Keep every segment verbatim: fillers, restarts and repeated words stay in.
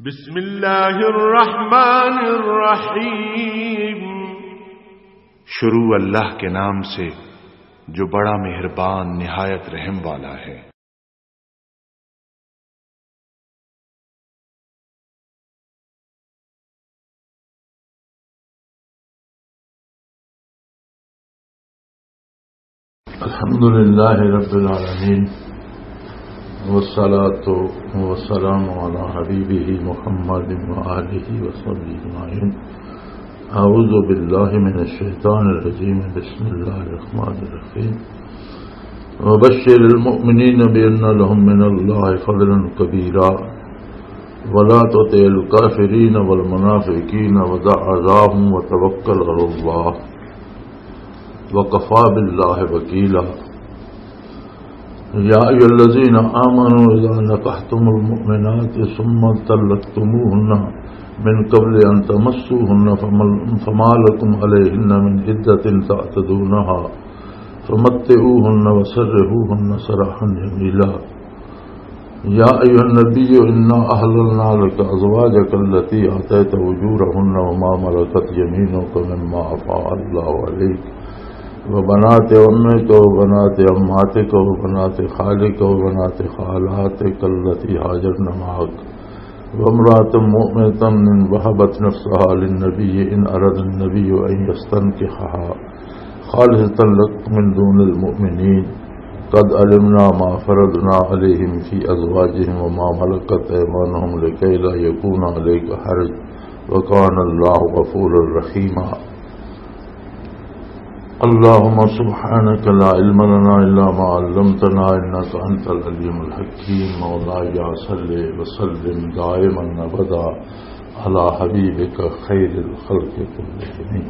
بسم اللہ الرحمن الرحیم۔ شروع اللہ کے نام سے، جو بڑا مہربان، نہایت رحم والا ہے۔ الحمد لله رب العالمين، والصلاة والسلام على حبيبه محمد وآله وصحبه أجمعين. أعوذ بالله من الشيطان الرجيم. بسم الله الرحمن الرحيم. وبشر المؤمنين بأن لهم من الله فضلا كبيرا. ولا تطع الكافرين والمنافقين ودع أذاهم وتوكل على الله وكفى بالله وكيلا. يا أيها الذين آمنوا إذا نكحتم المؤمنات ثم طلقتموهن من قبل أن تمسوهن فما، فما لكم عليهن من عدة تعتدونها فمتعوهن وسرحوهن سراحا جميلا. يا أيها النبي إنا أحللنا لك أزواجك التي آتيت أجورهن وما ملكت يمينك مما أفاء الله عليك وبنات عمك وبنات عماتك وبنات خالك وبنات خالاتك التي هاجرن معك وامرأة مؤمنة إن وهبت نفسها للنبي إن أراد النبي أن يستنكحها خالصة لك من دون المؤمنين. قد علمنا ما فرضنا عليهم في أزواجهم وما ملكت أيمانهم لكي لا يكون عليك حرج وكان الله غفورا رحيما. اللهم سبحانك لا علم لنا إلا ما علمتنا إنك أنت العليم الحكيم. مولاي صل وسلم دائما أبدا على حبيبك خير الخلق كلهم.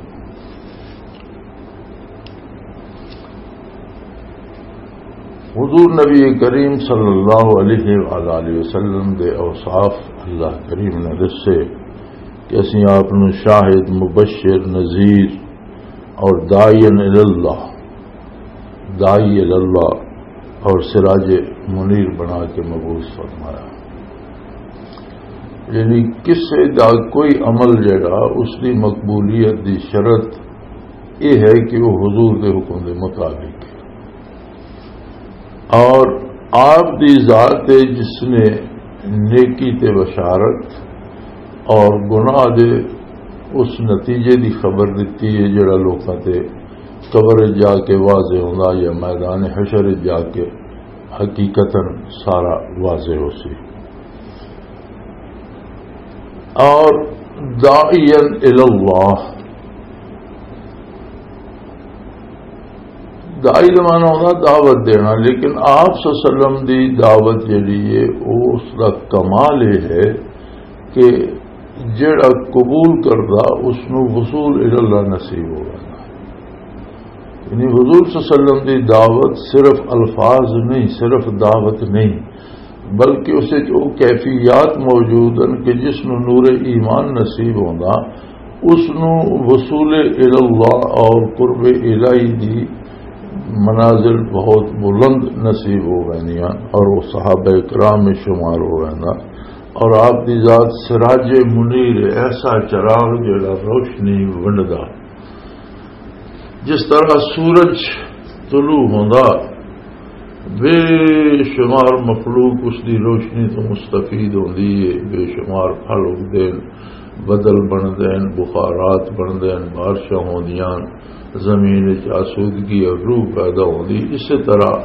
حضور نبی کریم صلی اللہ علیہ وآلہ وسلم دے اوصاف اللہ کریم نے دسے کہ اسیں آپ نو شاہد، مبشر، نذیر اور داعی الی اللہ، داعی الی اللہ اور سراج منیر بنا کے مبعوث فرمایا۔ یعنی کسے دا کوئی عمل جڑا اس دی مقبولیت دی شرط یہ ہے کہ وہ حضور دے حکم دے مطابق ہے۔ اور آپ دی ذات ہے جس نے نیکی تے بشارت اور گناہ دے اس نتیجے دی خبر دتی ہے جڑا لوکاں تے قبر جا کے واضح ہوندا یا میدان حشر جا کے حقیقتاً سارا واضح ہو سی۔ اور داعیا الی اللہ، داعی دا معنی ہوتا دعوت دینا، لیکن آپ صلی اللہ علیہ وسلم دی دعوت جڑی ہے، او اس دا کمال یہ ہے کہ جڑا قبول کردا، اس نو وصول الی اللہ نصیب ہوگا۔ یعنی حضور صلی اللہ علیہ وسلم دی دعوت صرف الفاظ نہیں، صرف دعوت نہیں، بلکہ اس وچ او کیفیات موجود ہیں کہ جس نو نور ایمان نصیب ہوندا، اس نو وصول الی اللہ اور قرب الہی دی منازل بہت بلند نصیب ہو ویندیاں اور وہ صحابہ کرام میں شمار ہو ویندا۔ اور آپ دی ذات سراج منیر، ایسا چراغ جڑا روشنی ونڈدا۔ جس طرح سورج طلوع ہوندا، بے شمار مخلوق اس دی روشنی تو مستفید ہوندی ہے، بے شمار پھل اگدے ہیں، بدل بندے ہیں، بخارات بندے ہیں، بارشاں ہوندیاں، زمین وچ آسودگی اور روح پیدا ہوندی۔ اسی طرح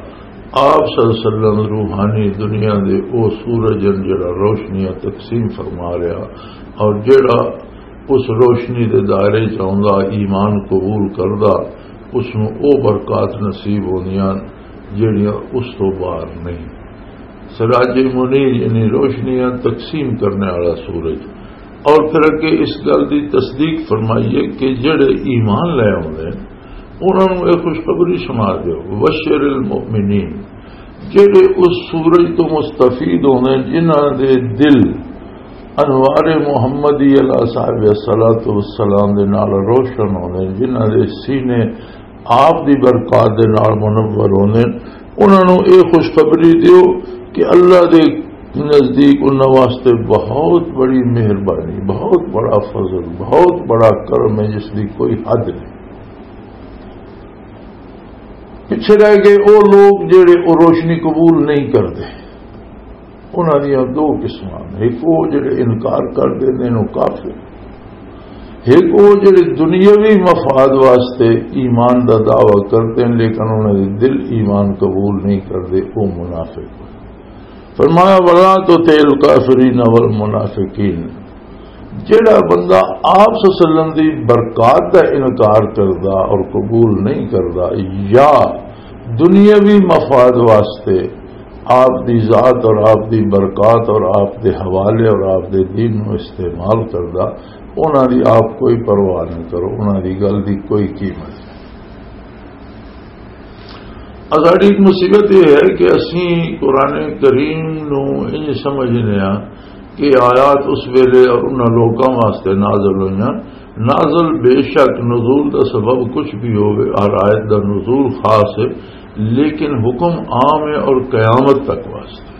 آپ صلی اللہ علیہ وسلم روحانی دنیا دے او سورج ہیں جڑا روشنیاں تقسیم فرما رہا، اور جڑا اس روشنی دے دائرے چ آوندا، ایمان قبول کردا، اس نوں او برکات نصیب ہوندیاں جڑیاں اس تو باہر نہیں۔ سراج منیر یعنی روشنیاں تقسیم کرنے والا سورج۔ اور پھر اگے اس گل دی تصدیق فرمائیے کہ جڑے ایمان لے آوندے انہاں نوں اے خوشخبری سنا دیو، وبشر المؤمنین، جڑے اس سورج تو مستفید ہوندے جنہاں دے دل انوار محمدی علیہ صاحب الصلوۃ والسلام دے نال روشن ہوندے، جنہاں دے سینے آپ دی برکات دے نال منور ہوندے، انہاں نوں اے خوشخبری دیو کہ اللہ دے نزدیک انہاں واسطے بہت بڑی مہربانی، بہت بڑا فضل، بہت بڑا کرم ہے، جس دی کوئی حد نہیں۔ پچھے رہ گئے او لوگ جڑے او روشنی قبول نہیں کردے۔ انہاں دیاں دو قسماں نے، ایک او جڑے انکار کر دیندے نے، او کافر۔ ایک او جڑے دنیاوی مفاد واسطے ایمان دا دعویٰ کردے نے، لیکن انہاں دے دل ایمان قبول نہیں کردے، او منافق۔ فرمایا، "ولا تطع الکافرین والمنافقین۔" جڑا بندہ آپ صلی اللہ علیہ وسلم دی برکات دا انکار کردا اور قبول نہیں کردا، یا دنیاوی مفاد واسطے آپ دی ذات اور آپ دی برکات اور آپ دے حوالے اور آپ دے دین نو استعمال کردا، انہاں دی آپ کوئی پرواہ نہ کرو، انہاں دی گل دی کوئی قیمت نہیں۔ ساڈی ایک مصیبت یہ ہے کہ اسی قرآن کریم نو انج سمجھنے ہاں کہ آیات اس ویلے اور انہاں لوکاں واسطے نازل ہوئیاں۔ نازل بے شک نزول دا سبب کچھ بھی ہوئے، ہر آیت دا نزول خاص ہے، لیکن حکم عام ہے اور قیامت تک واسطے۔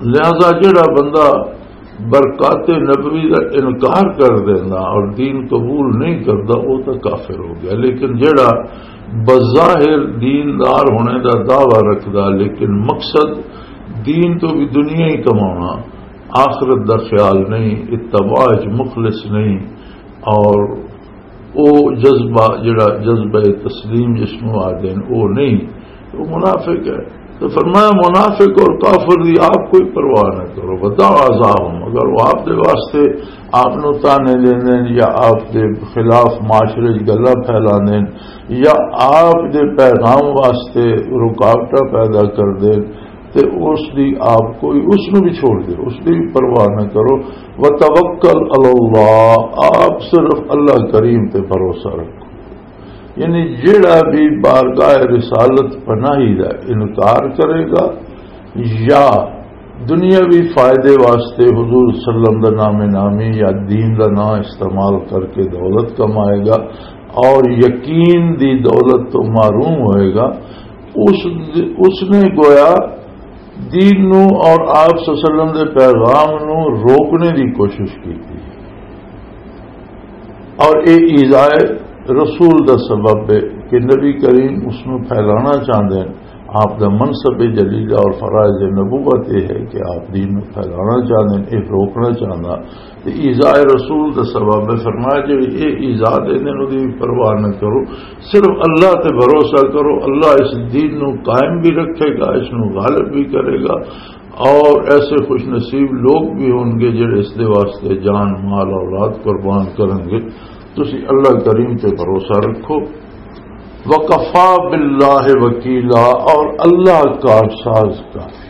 لہذا جڑا بندہ برکات نبوی دا انکار کر دینا اور دین قبول نہیں کردا، وہ تو کافر ہو گیا۔ لیکن جڑا بظاہر دیندار ہونے دا دعویٰ رکھدا، لیکن مقصد دین تو بھی دنیا ہی کمانا، آخرت دا خیال نہیں، اتباع وچ مخلص نہیں، اور او جذبہ، جڑا جذبہ تسلیم جس نوں آدھے نے، او نہیں، تو منافق ہے۔ تو فرمایا، منافق اور کافر دی آپ کوئی پرواہ نہ کرو، بتاؤ عذاب ہم، اگر وہ آپ دے واسطے آپ نو تانے دیندے نے یا آپ دے خلاف معاشرے وچ گلاں پھیلاندے نے یا آپ دے پیغام واسطے رکاوٹاں پیدا کردے نے، تے اس دی آپ کوئی، اس نو بھی چھوڑ دے، اس دی بھی پرواہ نہ کرو۔ وتوکل علی اللہ، آپ صرف اللہ کریم تے بھروسہ رکھو۔ یعنی جیڑا بھی بارگاہ رسالت پناہی دا انکار کرے گا یا دنیاوی فائدے واسطے حضور صلی اللہ علیہ وسلم دا نام نامی یا دین دا نام استعمال کر کے دولت کمائے گا اور یقین دی دولت تو محروم ہوئے گا، اس، اس نے گویا دین نو اور آپ صلی اللہ علیہ وسلم دے پیغام نو روکنے دی کوشش کی تھی۔ اور اے ایذائے رسول دا سبب ہے کہ نبی کریم اس نو پھیلانا چاہندے ہیں۔ آپ دا منصب جلیلہ اور فرائض نبوت یہ ہے کہ آپ دین نو پھیلانا چاہندے ہیں، اے روکنا چاہندا۔ تے ایذائے رسول دا سبب ہے۔ فرمایا، جڑی اے ایذا دے نے، اودی بھی پرواہ نہ کرو، صرف اللہ تے بھروسہ کرو۔ اللہ اس دین نو قائم بھی رکھے گا، اس نو غالب بھی کرے گا، اور ایسے خوش نصیب لوگ بھی ہون گے جڑے اس دے واسطے جان، مال، اولاد قربان کرن گے۔ تسی اللہ کریم تے بھروسہ رکھو۔ وکفا باللہ وکیلا، اور اللہ کارساز کافی۔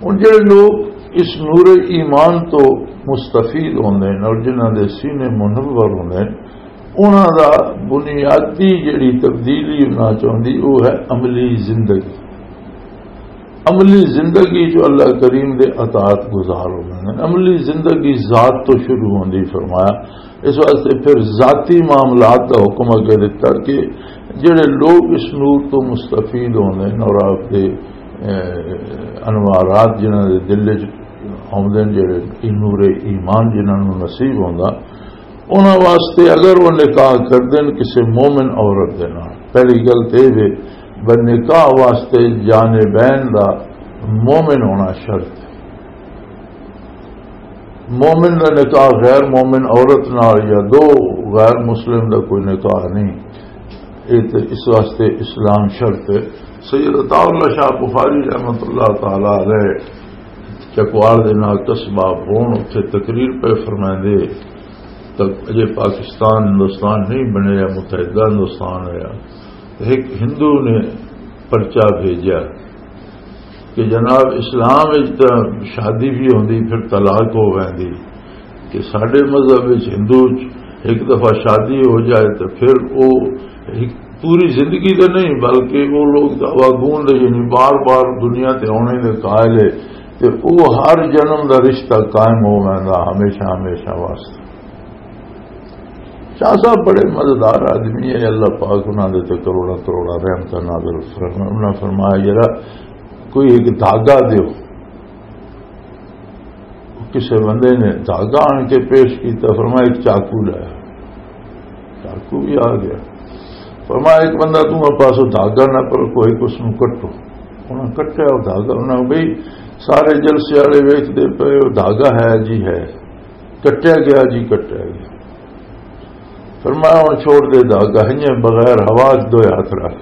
ہن جڑے لوگ اس نور ایمان تو مستفید ہوندے نے اور جنہاں دے سینے منور ہوندے نے، انہاں دا بنیادی جڑی تبدیلی ہونا چاہندی، وہ ہے عملی زندگی۔ عملی زندگی جو اللہ کریم دے اطاعت گزار ہوندے نے، عملی زندگی ذات تو شروع ہوندی۔ فرمایا، اس واسطے پھر ذاتی معاملات دا حکم اگے دتا کہ جڑے لوگ اس نور تو مستفید ہوندے نے اور آپ دے، اے، انوارات جنہاں دے دل وچ آوندے نے، جڑے نور ایمان جنہاں نوں نصیب ہوندا، انہاں واسطے اگر وہ نکاح کر دین کسی مومن عورت دے نال، پہلی گل تے اے وے، بس نکاح واسطے جانبین دا مومن ہونا شرط ہے۔ مومن دا نکاح غیر مومن عورت نال یا دو غیر مسلم دا کوئی نکاح نہیں۔ اے تے اس واسطے اسلام شرط ہے۔ سید عطا اللہ شاہ بخاری رحمۃ اللہ تعالی علیہ چکوال دے نال قصبہ بھون اتھے تقریر پہ فرمائندے، تک اجے پاکستان ہندوستان نہیں بنے یا متحدہ ہندوستان ہویا، ایک ہندو نے پرچہ بھیجا کہ جناب، اسلام وچ تاں شادی بھی ہوندی، پھر طلاق ہو ویندی، کہ ساڈے مذہب وچ ہندو چ ایک دفعہ شادی ہو جائے تو پھر وہ ایک پوری زندگی تو نہیں، بلکہ وہ لوگ تو آواگون دے، یعنی بار بار دنیا تے آنے دے قائل ہے، تے وہ ہر جنم دا رشتہ قائم ہو ویندا ہمیشہ ہمیشہ واسطے۔ شاہ صاحب بڑے مزیدار آدمی ہے، اللہ پاک انہاں دے تے کروڑاں کروڑاں رحمتاں نازل فرما-، انہاں فرمایا، "یارا، کوئی ایک دھاگا دیو۔" کسے بندے نے دھاگا آن کے پیش کیتا، فرمایا، "ایک چاقو لایا۔" چاقو بھی آ گیا۔ فرمایا، "ایک بندہ توں پاسوں دھاگا نہ پر کوئی، اس نوں کٹو۔" انہاں کٹیا وہ دھاگا، انہاں بھئی سارے جلسے والے ویکھدے پئے، وہ دھاگا ہے جی ہے، کٹیا گیا جی، کٹیا گیا۔ فرمایا، "ہن چھوڑ دے دھاگا، ہنجے بغیر ہوا دے دوئے ہاتھ رکھ۔"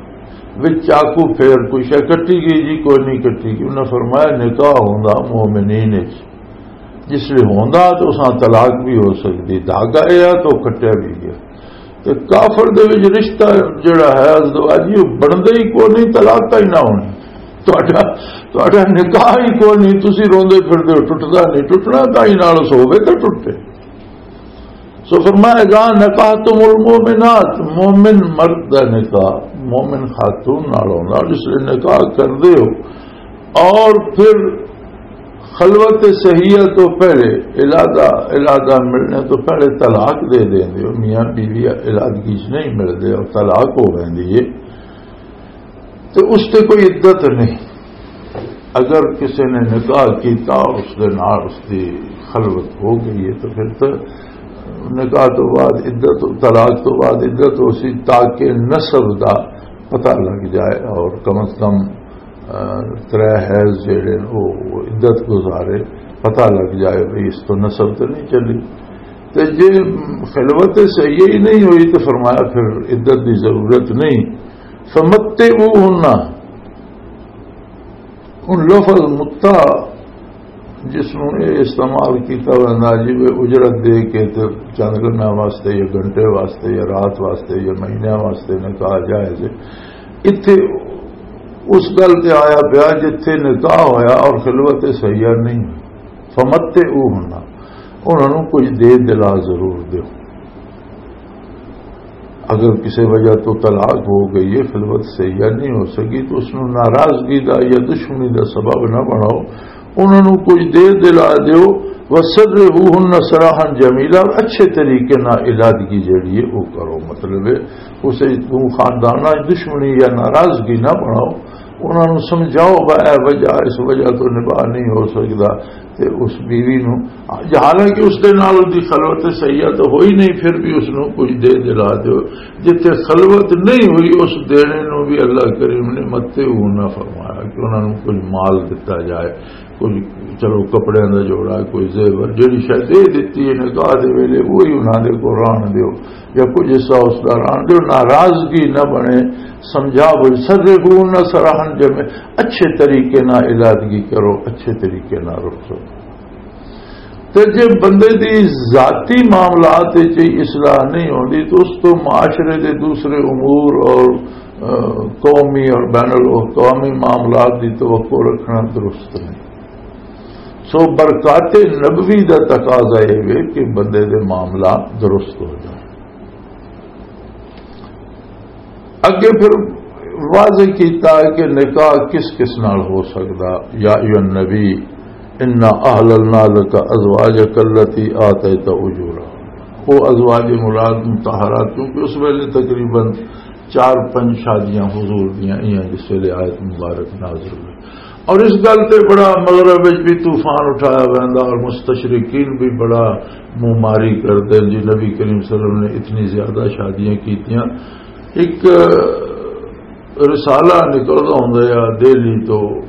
وچ چاقو پھیر کوئی شے کٹی گئی جی، کوئی نہیں کٹی گئی۔ انہاں فرمایا، "نکاح ہوندا مومنین وچ، جس لئے ہوندا تو اساں طلاق بھی ہو سکدی، دھاگا اے آ تو کٹیا بھی گیا۔" تے کافر دے وچ رشتہ جڑا ہے ازدواجی، وہ بندا ہی کوئی نہیں، طلاق کا ہی نہ ہونی۔ تہاڈا، تہاڈا نکاح ہی کوئی نہیں، تسی روندے پھردے ہو، ٹوٹدا نہیں، ٹوٹنا تاں ہی نال اس ہووے تے ٹوٹے۔ سو فرمایا، "اذا نکحتم المؤمنات"، مومن مرد دا نکاح مومن خاتون نال ہوندا، جس لئے نکاح کردے ہو اور پھر خلوت صحیحہ تو پہلے، علادہ، علادہ ملنے تو پہلے طلاق دے دیندے ہو، میاں بیوی علادگی چ نہیں ملدے اور طلاق ہو ویندی ہے، تو اس تے کوئی عدت نہیں۔ اگر کسی نے نکاح کیتا، اس دے نال اس دی خلوت ہو گئی ہے، تو پھر تو نکاح تو بعد عدت، طلاق تو بعد عدت ہو سی، تاکہ نسب دا پتہ لگ جائے اور کم از کم، آ، ترے حیض جڑے نے، وہ عدت گزارے، پتہ لگ جائے بھئی اس تو نسب تو نہیں چلی۔ تے جے خلوت صحیح ہی نہیں ہوئی تو فرمایا پھر عدت دی ضرورت نہیں۔ فمتعوہن، ان لفظ متع جس نوں اے استعمال کیتا ویندا جی، وہ اجرت دے کے تے چند لمحہ واسطے یا گھنٹے واسطے یا رات واسطے یا مہینے واسطے نکاح جائز ہے۔ اتھے اس گل تے آیا پیا جتھے نکاح ہویا اور خلوت صحیحہ نہیں ہوئی۔ فمتعوہن، انہاں نوں کچھ دے دلا ضرور دیو۔ اگر کسی وجہ تو طلاق ہو گئی ہے، خلوت صحیح نہیں ہو سکی، تو اس نوں ناراضگی دا یا دشمنی دا سبب نہ بناؤ، انہاں نوں کچھ دے دلا دیو۔ وسرحوہن سراحا جمیلا، اور اچھے طریقے نال علادگی جڑی ہے وہ کرو۔ مطلب ہے اسے توں خانداناں وچ دشمنی یا ناراضگی نہ بناؤ، انہاں نوں سمجھاؤ، "بھائی، اے وجہ، اس وجہ تو نباہ نہیں ہو سکدا۔" تے اس بیوی نوں، حالانکہ اس دے نال اس دی خلوت صحیح تو ہوئی نہیں، پھر بھی اس نوں کچھ دے دلا دیو۔ جتھے خلوت نہیں ہوئی، اس دینے نوں بھی اللہ کریم نے متعوہن فرمایا کہ انہاں نوں کچھ مال دتا جائے، کچھ، چلو، کپڑیاں دا جوڑا، کوئی زیور، جڑی شے دے دتی ہے نکاح دے ویلے، وہی انہاں دے کول رہن دیو۔ یا کچھ حصہ اس دا رہن دیو، ناراضگی نہ بنے، سمجھا بول، سرحوہن سراحا جمیلا، اچھے طریقے نال علادگی کرو، اچھے طریقے نال رخصت۔ تے جے بندے دی ذاتی معاملات وچ ہی اصلاح نہیں ہوندی تو اس تو معاشرے دے دوسرے امور اور، آ، قومی اور بین الاقوامی معاملات دی توقع رکھنا درست نہیں۔ سو برکات نبوی دا تقاضا یہ وے کہ بندے دے معاملات درست ہو جائیں۔ اگے پھر واضح کیتا ہے کہ نکاح کس کس نال ہو سکدا۔ یا ایھا النبی انا احللنا لک ازواجک التی آتیت اجورہا۔ وہ ازواج مراد مطہرات، کیونکہ اس ویلے تقریباً چار پنج شادیاں حضور دیاں ایاں جس ویلے آیت مبارک نازل ہوئی۔ اور اس گل تے بڑا مغرب وچ بھی طوفان اٹھایا ویندا اور مستشرقین بھی بڑا منہ ماری کردے جی، نبی کریم صلی اللہ علیہ وسلم نے اتنی زیادہ شادیاں کیتیاں۔ ایک رسالہ نکلدا ہوندا ہے دہلی تو،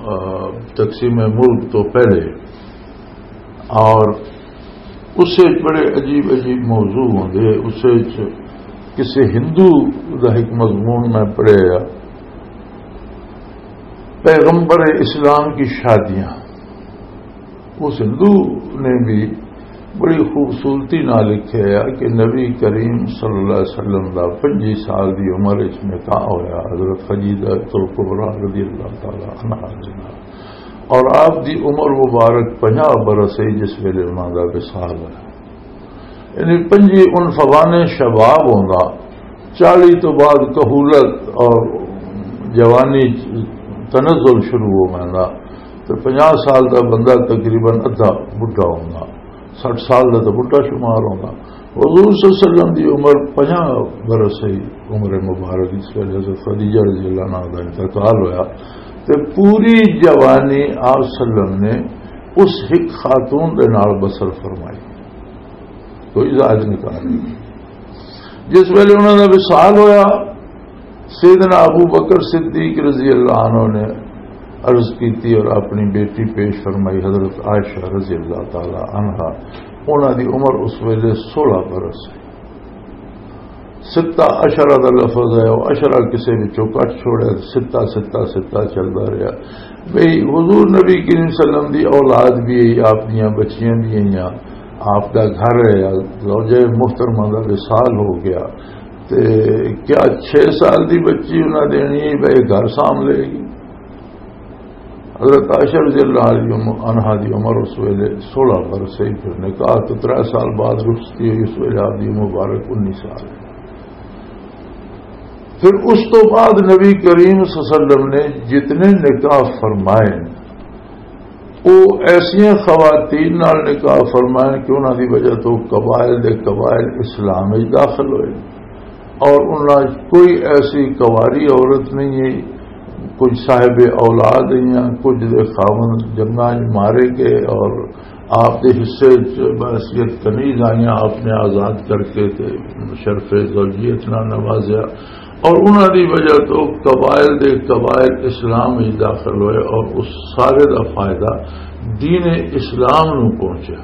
آ، تقسیم ملک تو پہلے، اور اس وچ بڑے عجیب عجیب موضوع ہوندے۔ اس وچ کسی ہندو دا ایک مضمون میں پڑھیا، پیغمبر اسلام کی شادیاں۔ اس ہندو نے بھی بڑی خوبصورتی نال لکھیا ہے کہ نبی کریم صلی اللہ علیہ وسلم دا پنجی سال دی عمر وچ نکاح ہویا حضرت خدیجہ الکبریٰ رضی اللہ تعالی عنہا دے نال، اور آپ دی عمر مبارک پنجاہ برس ہے جس ویلے انہاں دا وصال ہے۔ یعنی پنجی عنفوان شباب ہوندا، چالی تو بعد کہولت اور جوانی تنزل شروع ہو ویندا، تو پنجاہ سال دا بندہ تقریباً ادھا بڈھا ہوندا، سٹھ سال دا تو بڈھا شمار ہوندا۔ حضور صلی اللہ علیہ وسلم دی عمر پنجاہ برس سی۔ عمر مبارک، اس ویلے حضرت خدیجہ رضی اللہ عنہا دا انتقال ہویا، تے پوری جوانی آپ صلی اللہ علیہ وسلم نے اس ہک خاتون دے نال بسر فرمائی، کوئی زائد نکاح نہیں۔ جس ویلے انہاں دا وصال ہویا، سیدنا ابو بکر صدیق رضی اللہ عنہ نے عرض کیتی اور اپنی بیٹی پیش فرمائی، حضرت عائشہ رضی اللہ تعالی عنہا۔ انہاں دی عمر اس ویلے سولہ برس ہے۔ ستہ عشرہ دا لفظ ہے، وہ عشرہ کسے وچوں کٹ چھوڑیا، ستہ، ستہ، ستہ چلدا رہیا۔ بھئی، حضور نبی کریم صلی اللہ علیہ وسلم دی اولاد بھی ہے، آپ دیاں بچیاں بھی ہیں، آپ دا گھر ہے، زوجہ محترمہ دا وصال ہو گیا، تے کیا چھ سال دی بچی انہاں دینی ہے، بھئی گھر سام لے گی؟ حضرت عائشہ رضی اللہ عنہا دی عمر اس ویلے سولہ برس سی، پھر نکاح تو ترے سال بعد رخصتی ہوئی، اس ویلے آپ دی عمر مبارک انیس سال ہے۔ پھر اس تو بعد نبی کریم صلی اللہ علیہ وسلم نے جتنے نکاح فرمائے، وہ ایسیاں خواتین نال نکاح فرمائے کہ انہاں دی وجہ تو قبائل دے قبائل اسلام وچ داخل ہوئے، اور انہاں وچ کوئی ایسی کواری عورت نہیں ہے، کچھ صاحب اولاد ہیں، کچھ دے خاوند جنگاں وچ مارے گئے اور آپ دے حصے وچ بحیثیت کنیز آئیاں، آپ نے آزاد کر کے تے شرف زوجیت نال نوازیا، اور انہاں دی وجہ تو قبائل دے قبائل اسلام وچ داخل ہوئے، اور اس سارے دا فائدہ دین اسلام نو پہنچیا۔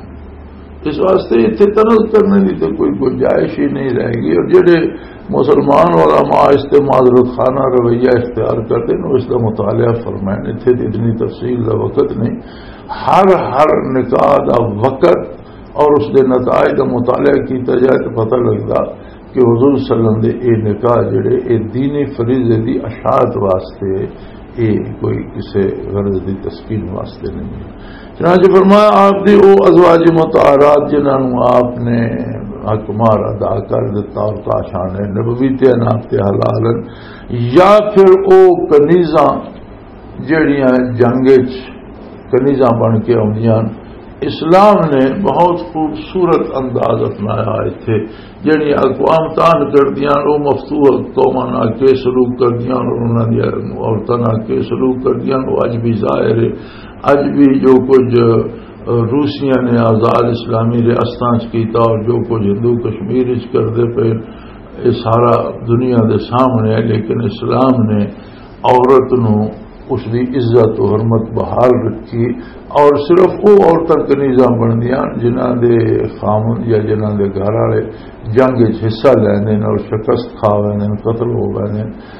اس واسطے اتھے طنز کرنے دی تے کوئی گنجائش ہی نہیں رہ گئی۔ اور جڑے مسلمان علماء اس تے معذرت خانہ رویہ اختیار کردے نے، اس دا مطالعہ فرمائیں، اتھے تے اتنی تفصیل دا وقت نہیں۔ ہر، ہر نکاح دا وقت اور اس دے نتائج دا مطالعہ کیتا جائے تو پتہ لگدا کہ حضور صلی اللہ علیہ وسلم دے اے نکاح جڑے، اے دینی فریضے دی اشاعت واسطے، اے کوئی کسے غرض دی تسکین واسطے نہیں ہے۔ چنانچہ فرمایا، آپ دی او ازواج مطہرات جنہاں نوں آپ نے حق مہر ادا کر دتا اور کاشان نبوی تے عناق تے حلال ہن، یا پھر او کنیزاں جڑیاں جنگ وچ کنیزاں بن کے آؤندیاں ہن۔ اسلام نے بہت خوبصورت انداز اپنایا اتھے۔ جڑیاں اقوام تان کردیاں ہن، او مفتوح قوماں نال کے سلوک کردیاں ہن، اور انہاں دی عورتاں نال کے سلوک کردیاں ہن، او اج بھی ظاہر ہے۔ اج بھی جو کچھ، اہ، روسیاں نے آزاد اسلامی ریاستاں چ کیتا اور جو کچھ ہندو کشمیر چ کردے پے، یہ سارا دنیا دے سامنے ہے، لیکن اسلام نے عورت نو اس دی عزت و حرمت بحال رکھی، اور صرف وہ عورتاں کنیزاں بندیاں جنہاں دے خامن یا جنہاں دے گھر والے جنگ وچ حصہ لیندے نے اور شکست کھا ویندے نے، قتل ہو ویندے نے۔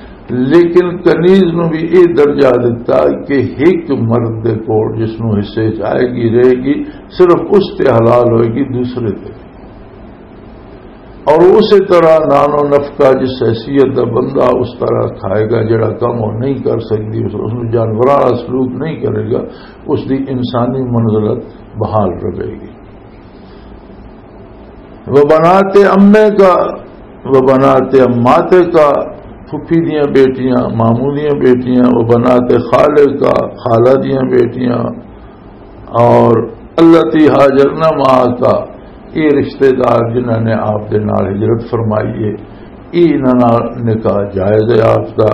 لیکن کنیز نو بھی یہ درجہ دتا کہ ایک مرد دے کول جس نو حصے چ آئے گی، رہے گی، صرف اس تے حلال ہوئے گی، دوسرے تے اور اسی طرح نان و نفقہ، جس حیثیت دا بندہ اس طرح کھائے گا، جڑا کم وہ نہیں کر سکتی، اس، اس نوں جانوراں والا سلوک نہیں کرے گا، اس دی انسانی منزلت بحال رہے گی۔ وہ بنات امے کا، وہ بنات اماتے کا، پھپھی دیاں بیٹیاں، ماموں دیاں بیٹیاں، وہ بنات خالے کا، خالہ دیاں بیٹیاں، اور التی ہاجرنا معاک، یہ رشتہ دار جنہاں نے آپ دے نال ہجرت فرمائی ہے، یہ انہاں نال نکاح جائز ہے آپ دا۔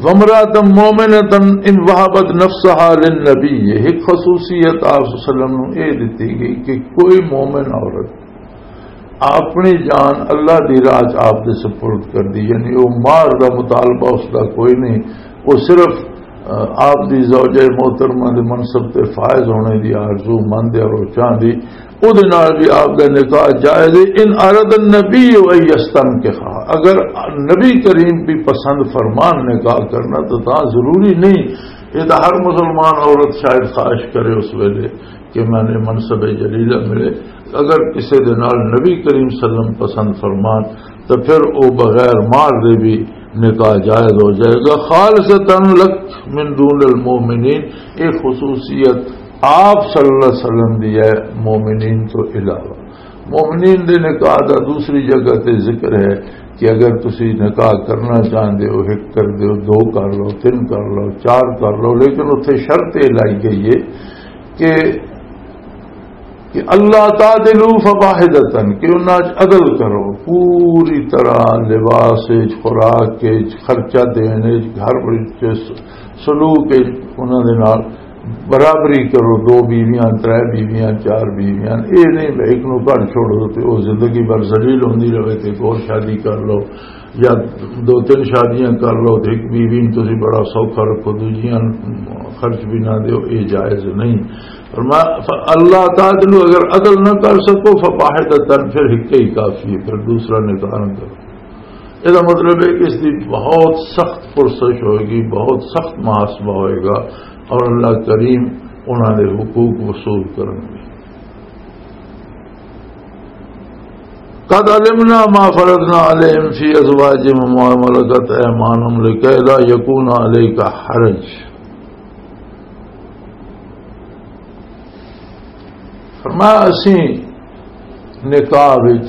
وامرأة مؤمنة ان وهبت نفسها للنبی، یہ ایک خصوصیت آپ صلی اللہ علیہ وسلم نو یہ دتی گئی کہ کوئی مومن عورت اپنی جان اللہ دی راہ چ آپ دے سپرد کر دی، یعنی وہ مہر دا مطالبہ اس دا کوئی نہیں، وہ صرف، آ، آپ دی زوجہ محترمہ دے منصب تے فائز ہونے دی آرزو مند ہے اور وہ چاہندی، او دے نال بھی آپ دا نکاح جائز ہے۔ ان اراد النبی ان یستنکحها، اگر نبی کریم بھی پسند فرمان نکاح کرنا تو تاں ضروری نہیں، یہ تو ہر مسلمان عورت شاید خواہش کرے اس ویلے کہ میں نے منصب جلیلہ ملے۔ اگر کسی دے نال نبی کریم صلی اللہ علیہ وسلم پسند فرمان، تو پھر او بغیر مہر دے بھی نکاح جائز ہو جائے گا۔ خالصتاً لک من دون المؤمنین، یہ خصوصیت آپ صلی اللہ علیہ وسلم دی ہے، مومنین تو علاوہ۔ مومنین دے نکاح دا دوسری جگہ تے ذکر ہے کہ اگر تسی نکاح کرنا چاہندے ہو، ایک کر دیو، دو کر لو، تین کر لو، چار کر لو، لیکن اتھے شرط یہ لائی گئی ہے کہ کہ اللہ تعدلوا فواحدتاً، کہ انہاں چ عدل کرو پوری طرح، لباس وچ، خوراک وچ، خرچہ دین وچ، گھر وچ، سلوک وچ انہاں دے نال برابری کرو۔ دو بیویاں، ترے بیویاں، چار بیویاں، اے نہیں بھئی ایک نو گھر چھوڑو تے او زندگی بھر ذلیل ہوندی رہے تے ایک اور شادی کر لو، یا دو تین شادیاں کر لو تے ایک بیوی نوں تسی بڑا سوکھا رکھو، دوجیاں خرچ بھی نہ دیو، اے جائز نہیں۔ فرمایا، "اللہ تعدلوا"، اگر عدل نہ کر سکو، "فواحدتاً"، پھر ایک ہی کافی ہے، پھر دوسرا نکاح نہ کرو۔ یہ مطلب ہے کہ اس کی بہت سخت پرسش ہوئے گی، بہت سخت محاسبہ ہوئے گا، اور اللہ کریم انہاں دے حقوق وصول کرن گے۔ قد علمنا ما فرضنا عليهم في أزواجهم وما ملكت أيمانهم لكي لا يكون عليك حرج۔ فرمایا، اسی نکاح وچ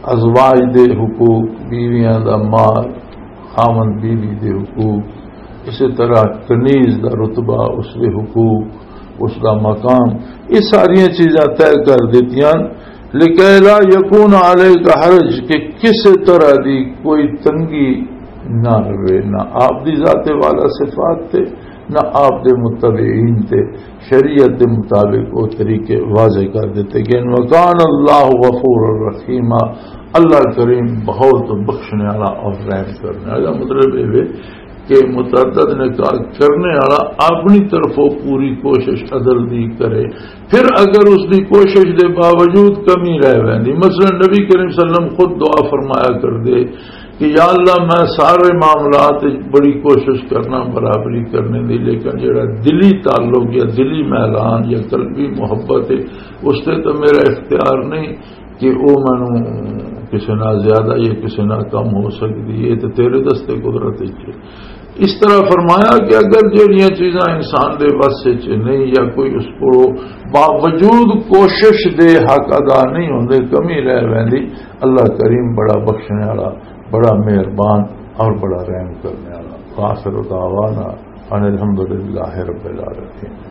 ازواج دے حقوق، بیویاں دا مال، خاوند بیوی دے حقوق، اسی طرح کنیز دا رتبہ، اس دے حقوق، اس دا مقام، یہ ساریاں چیزاں طے کر دتیاں، لکیلا یکون علیک حرج، کہ کسی طرح دی کوئی تنگی نہ رہے، نہ آپ دی ذات والا صفات تے، نہ آپ دے متبعین تے۔ شریعت دے مطابق وہ طریقے واضح کر دیتے گئے۔ وکان اللہ غفور الرحیم، اللہ کریم بہت بخشنے والا اور رحم کرنے والا۔ مطلب یہ ہے کہ متعدد نکاح کرنے والا اپنی طرفوں پوری کوشش عدل دی کرے، پھر اگر اس دی کوشش دے باوجود کمی رہ ویندی، مثلا نبی کریم صلی اللہ علیہ وسلم خود دعا فرمایا کر دے کہ یا اللہ، میں سارے معاملات وچ بڑی کوشش کرنا برابری کرنے دی، لیکن جڑا دلی تعلق یا دلی میلان یا قلبی محبت ہے، اس تے تو میرا اختیار نہیں کہ او مینوں کسے نال زیادہ یا کسے نال کم ہو سکدی ہے، تے تیرے دستے قدرت وچ ہے۔ اس طرح فرمایا کہ اگر جہڑیاں چیزاں انسان دے وس وچ نہیں یا کوئی اس کو باوجود کوشش دے حق ادا نہیں ہوندے، کمی رہ ویندی، اللہ کریم بڑا بخشنے والا، بڑا مہربان اور بڑا رحم کرنے والا۔ وآخر دعوانا ان الحمدللہ رب العالمین۔